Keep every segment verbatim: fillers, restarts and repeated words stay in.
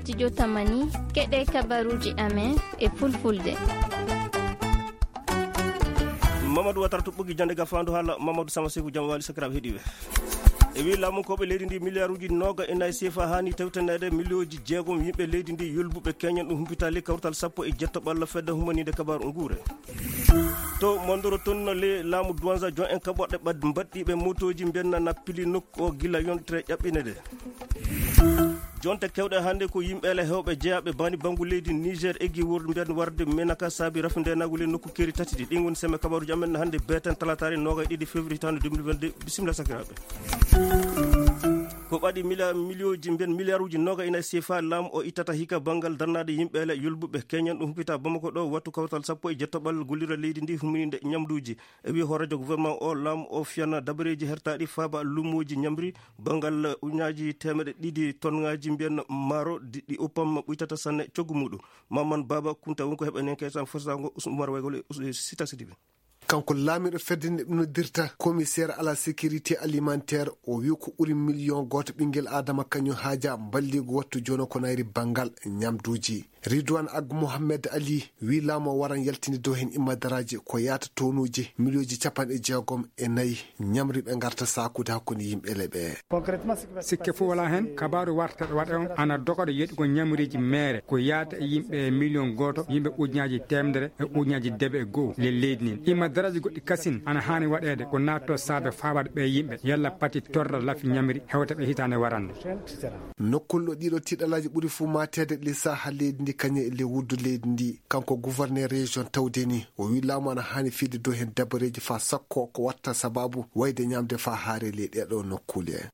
Studio Tamani, keɗe kabaruji amen e fulfulde. Mamadou Watara to ɓogi jande gafandu hala Mamadou Sama Seku, jam wali sakiraɓe heɗiɓe. E wi lamunkoɓe leydi ndi, milliard uji noga e nayi sefa hani tewtanede milioji jeegom yimɓe leydi ndi yolbuɓe keñen ɗum humpitali kawtal sappo e jetto ɓalla fedde humanide kabaru nguure. To Mondoro toon, le laamu Douanza, jon en kaɓorɗe ɓad-, mbaɗɗiiɓe mootooji mbiyanna nappili nokku o gila yontere ƴaɓɓinede. Jonte kewɗe hannde ko yimɓe ele heewɓe jeyaaɓe bani banngu leydi Niger eggi wor-, mbiyan warde menaka saabi rafi ndenaagu le nokku keeri tati ɗi. Ɗin woni semme kabaruuji amen hannde beeten talataare noogay ɗiɗi février hitaande deux mille vingt-deux. Bisimilla sakiraaɓe. Ko ɓaɗi mila-, miliyooji, mbiyen miliyaaruuji noga ina sefa laamu o ittata hikka banngal darnaade yimɓe ele yolbuɓe keñen ɗum humpita Bamako ɗo wattu kawtal sappo e jettoɓal gollira leydi ndi humininde ñamduuji. E wi hooreejo gouvernement o, laamu o fiyana dabareeji hertaaɗi faaba luumooji ñamri banngal ujunnaaji teemeɗe ɗiɗi tonngaaji mbiyen maaro di, ɗi uppam ɓuytata sanne coggu muɗum. Maman Baba Kunta won ko heɓanen kaysan fotango Usmar Waygol e Us-, e Sita Sidibe. Kanko laamiiɗo fedde nde ɓe noddirta commissaire à la sécurité alimentaire, o wi ko ɓuri million gooto ɓinngel Adama kañum haaja mballigu wattu jono ko nayri banngal ñamduuji. Ridwan Ag Mohamed Ali wi laamu o waran yaltinde dow heen immadaraaji ko yaata tonuuji miliyooji capanɗe jeegom e nayi ñamri ɓe ngarta saakude hakkunde yimɓe leɓe. Sikke fof wala heen, kabaaru warteɗo waɗa on ana dogoɗo yeɗugol ñamriiji meere ko yaata e yimɓe e miliyon gooto, yimɓe ujunnaaji teemedere e ujunnaaji debe e go'o le leydi ndin. Imma daraaji goɗɗi kasin ana haani waɗeede ko naatto saabe faabaade ɓee yimɓe, yalla pati torra lafi ñamri hewta ɓe hitaande warande. Nokkol ɗo ɗiɗo tiɗalaaji ɓuri fof maateede le saaha leydi ndi kañum e le wuddu leydi ndi. Kanko gouverneur région tawde ni, o wi laamu ana haani fiide dow heen dabareeji faa sakko ko watta sababu wayde ñamde faa haare ley ɗeɗo nokkule.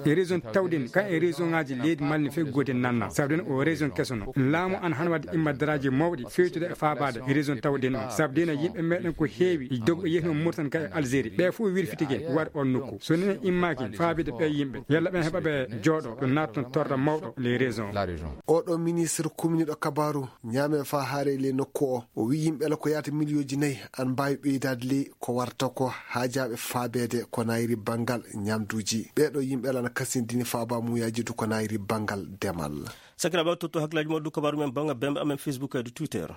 E région tawde ni, kan e région ngaaji leydi Mali ne feggoode nanna. Sabu den o région keso no. Laamu ana haani wadde immadaraaji mawɗi fewtude e faabaade e région tawde ni. Sabu den yimɓe meɗen ko heewi dogo yehno Mauritanie ka e Algérie. Ɓe fof wirfitike war on nokku. So nene immaaki faabide ɓe yimɓe. Yalla ɓen heɓa ɓe jooɗo ɗo natton torra mawɗo les régions. Oɗo ministre kuminiɗo kabaru ñaame faa haare ley nokku o, o wi yimɓe ala ko yaata miliyooji nayi an mbaawi ɓeydaade ley ko warta ko haajaaɓe faabeede ko nayri banngal ñamduuji. Ɓeeɗo yimɓe ala na kasindini faaba muyaaji du ko nayri banngal demal. Sakiraaɓe, totto hakkilaaji mon du kabaru men bannga bembe amen Facebook e du Twitter.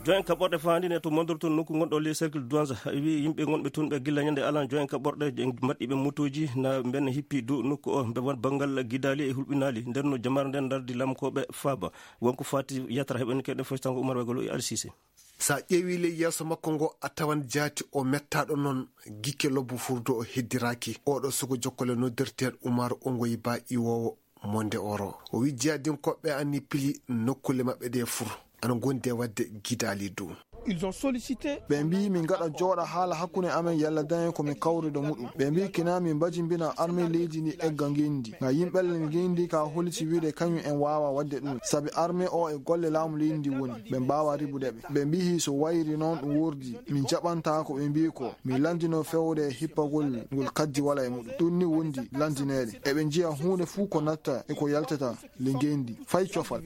Joen kaɓɓorɗe faandine to mondorto nokku ngonɗo ley cercle Douanza, wi yimɓe ngonɓe toon ɓe gilla ñande alan joen kaɓɓorɗe mbaɗɗiɓe motoji na mbenna hippi dow nokku o, mbe won banngal gidali e hulɓinali. Nden no jamaare nden dardi lamkoɓe faaba. Wonko fati yatra heɓen keɗe fostango Umar Wegolo e Alsise. Sa ƴeewi ley yeeso makko ngo, a tawan jaati o mettaɗo noon, gikke lobbo furdo o heddiraki. Oɗo sugo jokkole noddirteeɗo Umar Ongoyi Ba, iwowo Monde Oro. O wi jihadinkoɓe anni pili nokkule maɓɓe ɗe fur ana gondi e wadde gidali dow. Ils ont sollicité. Ɓe mbi min gaɗa jooɗa haala hakkunde amen yalla dañen ko min kawri do muɗum. Ɓe mbi kina min mbajimbina armée leydi ndi egga ngendi. Nga yimɓe ngendi ka holiti wiide kañum en waawa wadde ɗum. Sabi armée o e golle laamu leydi ndi woni. Ɓe mbaawa ribude ɓe. Ɓe mbi so wayri noon ɗum wordi. Min jaɓanta ko ɓe mbi ko. Min landino fewde e hippagol ngol kaddi wala e muɗum. Ɗum ni wondi landineede. Eɓe njiya huunde fuu ko natta e ko yaltata le ngendi. Fay cofal.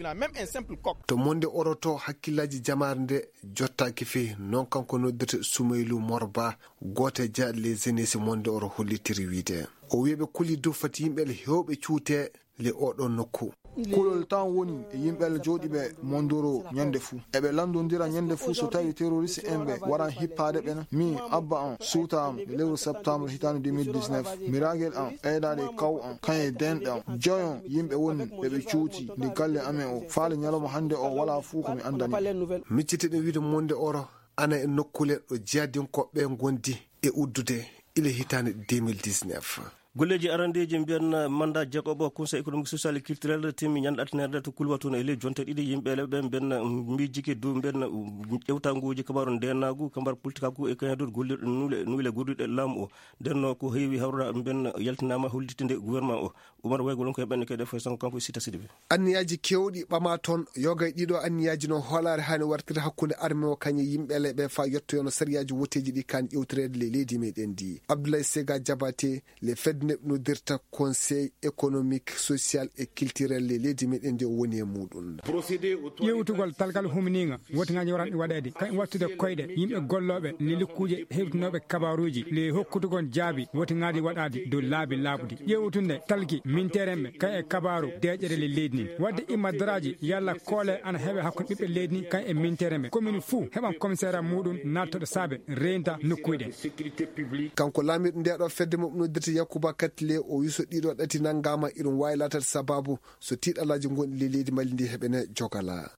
To Monde Oro to hakkillaaji jamaare nde jottaaki fii, noon kanko noddirte Sumaylu Morba, gooto e jeyaaɗo les jeunes Monde Oro hollitiri wiide. O wiyi ɓe kuli dow fati yimɓe le heewɓe cuute le oɗo nokku. Kulol tan woni e yimɓe le jooɗiiɓe Mondoro ñande fuu. Eɓe lanndondira ñande fuu so tawi terroriste en ɓe waran hippaade ɓe na. Min, abba am, suuta am, e lewru septembre hitaande deux mille dix-neuf, miragel am, ɓeydaade e kaw am, kañe denɗe am. Joyon yimɓe woni ɓe ɓe cuuti ndi galle amen o. Faale ñalawma hannde o walaa fuu ko mi anndani. Miccitiɗen wiide Monde Oro ana e nokkule ɗo jihadinkoɓe ngondi e uddude ila hitaande deux mille dix-neuf. Golleeji arandeeji mbiyan mandat jeegoɓo Conseil économique, social et culturel timmi ñande altinere to Kulwatun e ley jonte ɗiɗi. Yimɓe le ɓe mbiyan miijike dow mbiyan ƴewtanguuji kabaru ndenaagu, kabaru politikaagu e kañadur gollirɗe nuule, nuule goduɗe laamu o. Nden no ko heewi hawra mbiyan yaltinaama hollitinde gouvernement o. Umar Waygol on ko heɓen kede foy sango kanko e Sita Sidibe. Anniyaaji keewɗi ɓama toon, yoga e ɗiɗo anniyaaji noon hoolaare haani wartire hakkunde arme o kañe yimɓe le ɓe faa yettoyono sariyaaji woteeji ɗi kaan ƴewtireede ley leydi meɗen ndi. Abdoulaye Sega Diabaté, le fedde Neɗɗodirta Conseil économique, social et culturel e leydi meɗen ndi o woni e muɗum. Ƴeewtugol talgal humniinga, wotingaaji waran waɗeede, kay wattude koyɗe yimɓe gollooɓe le lukkuuje hewtinooɓe kabaaruuji, le hokkutugol jaabi wotingaaji waɗaadi dow laabi laaɓuɗi. Ƴeewtunde talki minteerenɓe, kay e kabaaru deeƴere le leydi ndi. Waɗde imma daraaji yalla koole ana heɓe hakkunde ɓiɓɓe leydi ndi, kay e minteerenɓe. Komin fuu heɓan komiseera muɗum nattoɗo saabe reynta nokkuuji ɗen. Kanko laamiiɗo nde ɗo fedde mo noddirta Yakuba Katle, o wi so ɗiɗo ɗati nangama, iɗum wawi latade sababu so tiiɗalaji gonɗi le leydi Mali ndi heɓene jogala.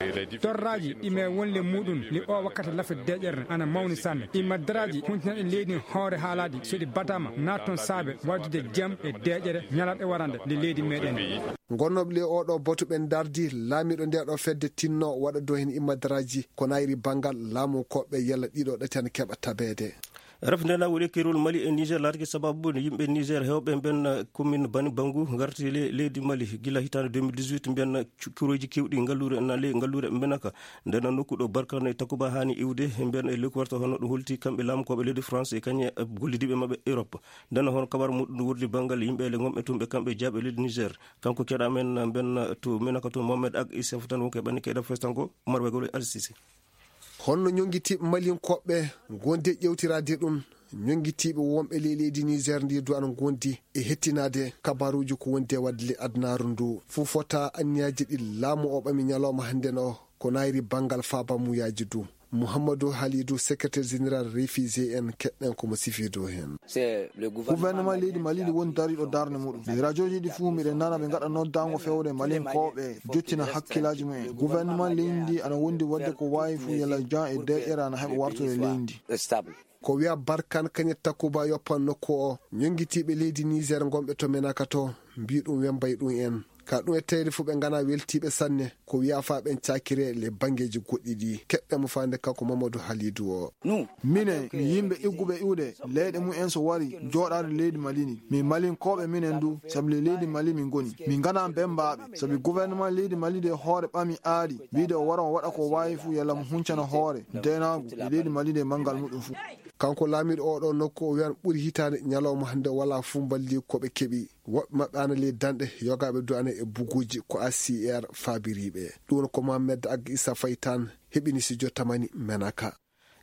Torraji ɗi me wonle muɗum le o wakkati lafe deƴere ana mawni sanne. Ɗi maddaraji huntinaɗe leydi hoore haalaji so ɗi batama natton saabe waddude jam e deƴere ñalaɗe warande le leydi meɗen. Gonnoɓe le oɗo botu ɓen dardi laamiɗo nde ɗo fedde tinno waɗa do hen immadaraaji ko nayri bangal laamu koɓɓe yalla ɗiɗo ɗati ana keɓa tabeede. Ref nde na woni kerol Mali e Niger laatake sababu ne yimɓe Niger hewɓe mben commune Bani Bangu ngarti le- leydi Mali gila hitande deux mille dix-huit mben cu- kuroji kewɗi ngallure na le ngallure mbenaka. Nden nokku ɗo Barkane Takuba hani iwde mben e lekku warta hono ɗum holti kamɓe laamu koɓe leydi France e kañe gollidiɓe maɓɓe Europe. Nden hono kabar muɗum wurdi bangal yimɓe le gomɓe tumɓe kamɓe jaaɓe leydi Niger. Kanko keɗa men mben to menaka to Mohamed Ak Isef tan wonko e ɓanni keɗa festango Umar Bagol e Al Sisi. Honno ñonngitiiɓe Malinkooɓe ngondi e ƴeewtiraade ɗum? Ñonngitiiɓe wonɓe ley leydi Niger ndi duwan ngondi e hettinaade kabaaruuji ko wondi e waɗde ley adunaaru ndu. Fuu fota anniyaaji ɗi laamu o ɓami ñalawma hannden o ko nayri banngal faabamuyaaji du. Muhammadu Halidu, secrétaire général refugé en, keɗɗen ko mo sifi dow heen. Gouvernement leydi Mali ndi woni dariiɗo darnde muɗum. Ley rajooji ɗi fuu miɗen nana ɓe ngaɗa noddaango fewre Malinkooɓe jottina hakkillaaji mumen. Gouvernement leydi ndi ana wondi waɗde ko waawi fuu yalla jan e deƴƴere ana heɓa wartude leydi ndi. Ko wiya Barkan Kañet Takuba yoppan nokku o, ñonngitiiɓe leydi Niger ngonɓe to Menaka to, mbii ɗum wembay ɗum en. Ka ɗum e tawde fof ɓe ngana weltiiɓe sanne, ko wiya fa ɓen cakire le banngeeji goɗɗi ɗi. Keɗɗe mo faande kanko Mamadou Halidou o. Minen, mi yimɓe igguɓe iwde, leyɗe mumen so wari jooɗaade leydi Mali ni. Min Malinkooɓe minen du, sabi le leydi Mali min ngoni. Min ngana bembaaɓe, sabi gouvernement leydi Mali de hoore ɓami aadi, wiide o wara o waɗa ko waawi fuu yalla mo huncana hoore, deenaagu, e leydi Mali de manngal muɗum fuu. Kanko laamiiɗo oɗo nokku o wiyan ɓuri hitaande ñalawma hannde wala fuu mballi ko ɓe keɓi. Woɓɓe maɓɓe ana ley danɗe, yogaaɓe du ana e buguuji ko A C R faabiriiɓe. Ɗum woni ko Mohamed Ag Issa Faye tan heɓini si jottamani Menaka.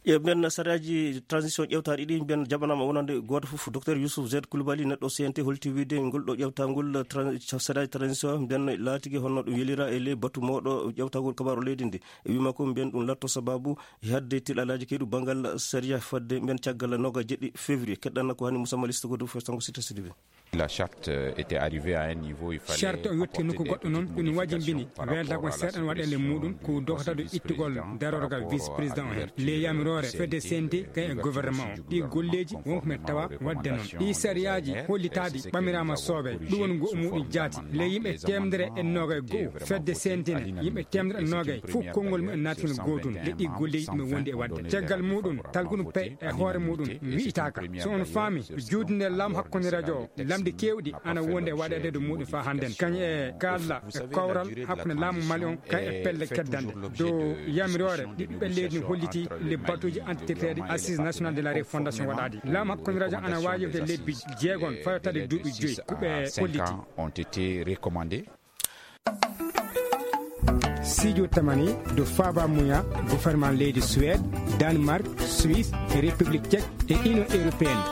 E mben sariyaaji transition ƴewtaaɗi ɗi mben jaɓanaama wonande gooto fof, Docteur Youssouf Z Koulibaly, neɗɗo C N T, holti wiide ngol ɗo ƴewtangol tran- sariyaaji transition mben laatigi honno ɗum yelira e ley batu mawɗo ƴewtagol kabaaru leydi ndi. E wii makko mben ɗum latto sababu e hadde tiɗalaaji keyɗu banngal sariya fadde mben caggal noga jeɗɗi février. Keɗɗanna ko hani Moussa Maliste ko dow festango Sita Sidibe. La charte, euh, était arrivée à un niveau, il fallait Charte o yotti apporter nokku des goɗɗo noon petites ɗum modifications wajimbini par rapport welta ko à la seeɗan waɗande suppression muɗum ko du doktadu ittugol vice-président darorgal pour vice-président o heen avertir le yamiroore fedde C N T kay e gouvernement o ɗi golleeji wonko men tawa waɗde noon ɗi sariyaaji hollitaadi ɓamiraama soobe ɗum woni ngo muɗum jaati le yimɓe temedere e noga e go'o fedde C N T ne yimɓe temedere e noga e fof konngol mumen naatino gootun le ɗi golleeji ɗum e wondi e waɗde caggal muɗum talguɗum pay e hoore muɗum wi'itaaka so on faami juutunde laamu hakkunde radio lamɗi keewɗi ana wondi e waɗeede dow muɗum faa hannden kañ e kalla e kowral hakkunde laamu Mali on kay e pelle keddanɗe dow yamiroore ɓiɓɓe leydi no holliti le batuuji antitirteeɗi assise nationale de la refondation waɗaadi laamu hakkunde radio ana waawi yewte lebbi jeegon fayotade duuɓi joyi ko ɓe holliti. Ont été recommandés. Sijo tamani do faba muya gouvernement leydi Suède, Danemark, Suisse e République Tchèque e Union Européenne.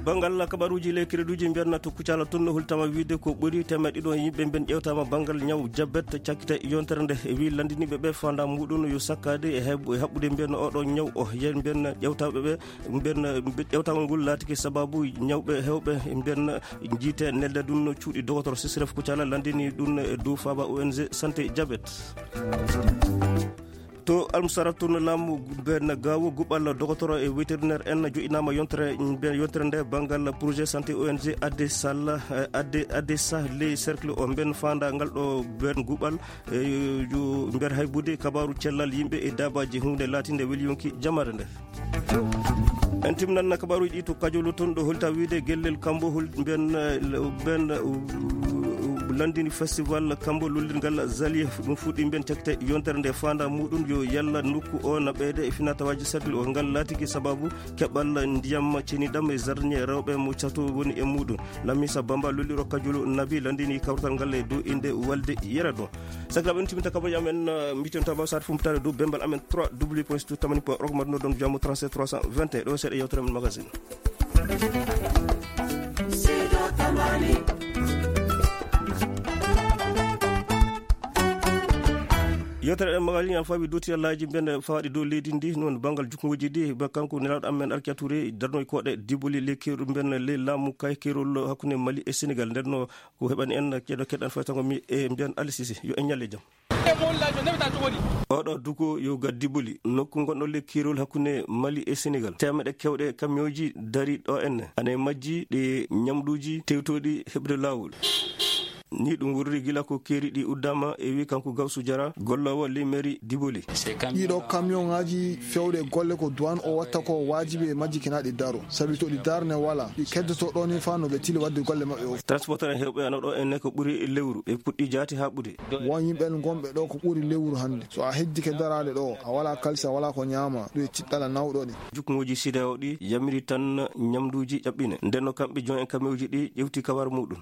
Banngal kabaruuji ley kreduuji mbiyanna to Kucala toon no holtama wiide ko ɓuri teemeɗɗe ɗiɗo yimɓe mben ƴewtama banngal ñaw jabet cakkite yontere nde e wi lanndiniiɓe ɓe fanda muɗum yo sakkaade e heb- e haɓɓude mbiyanna oɗo ñaw o yen mbiyanna ƴewtaɓe ɓe mbiyanna ƴewtagol ngol laatiki sababu ñawɓe hewɓe mbiyanna Jiite nelde ɗum no cuuɗi dogotoro Sisref Kucala lanndini ɗum e dow faaba O N G santé jabet. To Almusara toon laamu ben gawo guɓal dogotoro e vétérinaire en joƴinaama yontere ben yontere nde banngal projet santé O N G adde salla adde adde sah ley cercle o ben faanda ngal ɗo ben guɓal e mbeer haybude kabaaru cellal yimɓe e daabaaji huunde laatinde weli yonki jamaare nde. En timnan kabaaruuji ɗi to Kajolo toon ɗo holta wiide gellel kambo hol ben ben Landini festival kambo lollirgal Zali, ɗum fuɗɗi mbiyen cakte yontere nde faanda muɗum yo yalla nokku o naɓeede e finatawaaji sarɗi o ngal laatiki sababu keɓal ndiyam ceniɗam e jardinier rewɓe mo cato woni e muɗum. Lamisa Bamba lolliro Kajulu Nabi landini kawtal ngal e dow inde walde yera ɗum. Sakiraɓe, en timinta kabaji amen, eh, mbiten tabaw sat fumpitare dow bembal amen trois w point stu tamani point org, marno ɗon jamo trente-sept trois cent vingt et un. Ɗo seeɗa yewtere men magazine. Yewtere ɗen magal ñam fawi dotti alaji mben fawaɗi dow leydi ndi, noon banngal jukkuji ɗi, ba kanko nelaaɗo amen Arkia Touré darnoy koɗe diboli le keru mben le laamu kay kerol hakkunde Mali e Sénégal. Nden no ko heɓani en ceedo keɗan faytango mi e mbiyan Alisisi yo en ñalle jam. Oɗo duko yo gaddi boli nokku gonɗo le kirol hakkunde Mali e Sénégal. Temeɗe kewɗe kamioji dari ɗo en. Ana e majji ɗe ñamɗuji tewtoɗi heɓde lawol. Ni ɗum wurri gila ko keeri ɗi uddama e wi kanko Gawsu Jara, gollowo le mairie Diboli. Ɗiɗo kamioŋaji fewɗe golle ko douane o watta ko wajibi e majji kina ɗi daro. Sabi to ɗi darne wala, ɗi keddoto ɗo ni fa no ɓe tili wadde golle maɓɓe o. Transporteur en hewɓe ana ɗo en ko ɓuri lewru. Ɓe puɗɗi jaati ha ɓude. Won yimɓe gonɓe ɗo ko ɓuri lewru hannde. So a heddike daraade ɗo, a wala kalisa, wala ko ñaama, ɗum e tiɗɗala nawɗo ɗi. Jukkuŋooji sideao ɗi yamiri tan ñamduuji ƴaɓɓine. Nden no kamɓe jon en kamewji ɗi ƴewti kawar muɗum.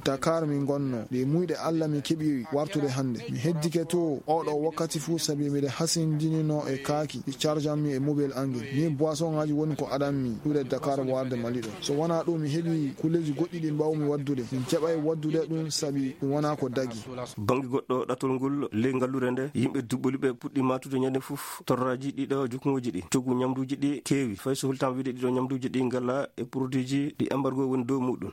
Dakar min gonno, ɗe muyɗe Allah mi keɓi wartude hannde. Mi heddike to oɗo wakkati fuu sabi miɗe hasindinino e kaaki, ɗi charge am mi e mobile angel. Ni boisson ngaji woni ko adan mi ɗuɗe Dakar warde Mali ɗo. So wona ɗum mi heɓi kulleji goɗɗi ɗi mbawmi waddude. Min keɓay waddude ɗum sabi ɗum wona ko dagi. Bannge goɗɗo ɗatol ngol ley ngallure nde, yimɓe duɓɓoli ɓe puɗɗi matude ñande fof torraji ɗiɗo jukkuŋoji ɗi. Coggu ñamduji ɗi keewi, fay so hultama wiide ɗiɗo ñamduji ɗi ngala e produitji ɗi embargo woni dow muɗum.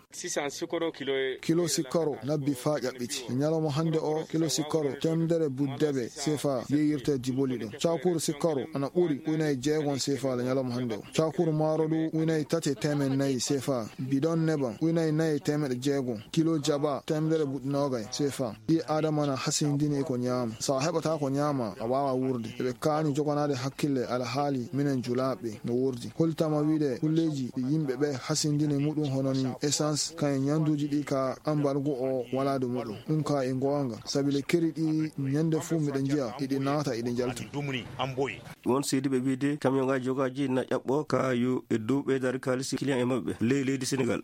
Kilo sikkaro nabbi faa ƴaɓɓiti. E ñalawma hannde o, kilo sikkaro temedere buddebe sefa yeeyirte Diboli ɗo. Cakuru sikkaro ana ɓuri ujunnaaje jeegom sefa le ñalawma hannde o. Cakuru maaro ɗu ujunnaaje tati e teemeɗɗe nayi sefa. Bidon neban ujunnaaje nayi e teemeɗɗe jeegom. Kilo jaba temedere buɗɗi noogay sefa. Ɓii Aadama na hasindini e ko ñaama. So a heɓataa ko ñaama, a waawaa wuurde. Eɓe kaani joganaade hakkille alhaali minen julaaɓe no wuurdi. Holtama wiide kulleeji ɗi yimɓe ɓe hasindini muɗum hono ni essence, kañum ñamduuji ɗi ka ambargo o walaade muɗum. Ɗum ka e goonga, sabi le keri ɗi ñande fuu miɗo njiya, iɗi naata, iɗi njalta. Won seediiɓe wiide camion ngaji jogaaji na ƴaɓɓo ka yo e dow ɓeydaade kaalisi client e maɓɓe ley leydi Sénégal.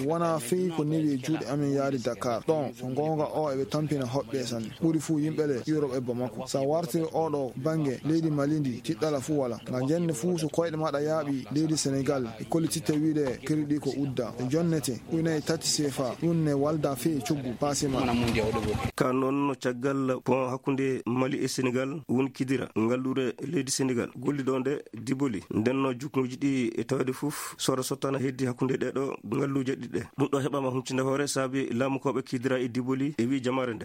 Wona fii ko newi e juuɗe amen yaade Dakar. Ɗon, so goonga o eɓe tampina hoɓɓe sanne. Ɓuri fuu yimɓe le Europe e Bamako. Sa wartiri oɗo bannge leydi Mali ndi, tiɗɗala fuu wala. Nga jenne fuu so koyɗe maɗa yaaɓi leydi Sénégal, e kollititte wiide keri ɗi ko udda. E jonnete, ujunnaaje tati sefa, ɗum ne walda fii e coggu paase ma. Ka noon no caggal pont hakkunde Mali e Sénégal woni Kidira, ngallure leydi Sénégal. Golliɗo nde Diboli, ndenno jukkuji ɗi e tawde fof, sora sottana heddi hakkunde ɗeɗo ngalluje ɗiɗe. Ɗum ɗo heɓama huncinde hoore saabi laamukoɓe Kidira e Diboli e wi jamaare nde.